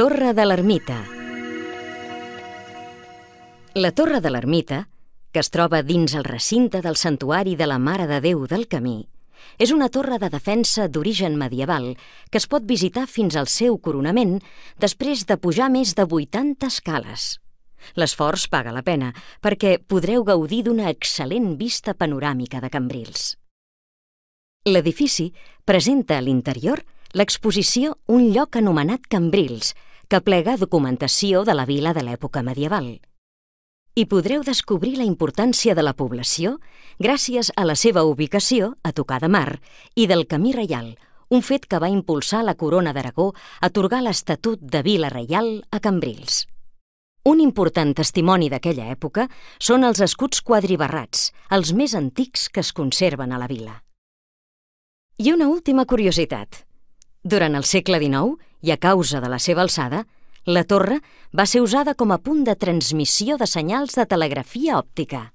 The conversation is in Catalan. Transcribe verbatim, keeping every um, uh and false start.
Torre de l'Ermita. La Torre de l'Ermita, que es troba dins el recinte del Santuari de la Mare de Déu del Camí, és una torre de defensa d'origen medieval que es pot visitar fins al seu coronament després de pujar més de vuitanta escales. L'esforç paga la pena perquè podreu gaudir d'una excel·lent vista panoràmica de Cambrils. L'edifici presenta a l'interior l'exposició Un lloc anomenat Cambrils, que plega documentació de la vila de l'època medieval. Hi podreu descobrir la importància de la població gràcies a la seva ubicació a tocar de mar i del Camí Reial, un fet que va impulsar la Corona d'Aragó a atorgar l'Estatut de Vila Reial a Cambrils. Un important testimoni d'aquella època són els escuts quadribarrats, els més antics que es conserven a la vila. I una última curiositat. Durant el segle dinou, i a causa de la seva alçada, la torre va ser usada com a punt de transmissió de senyals de telegrafia òptica.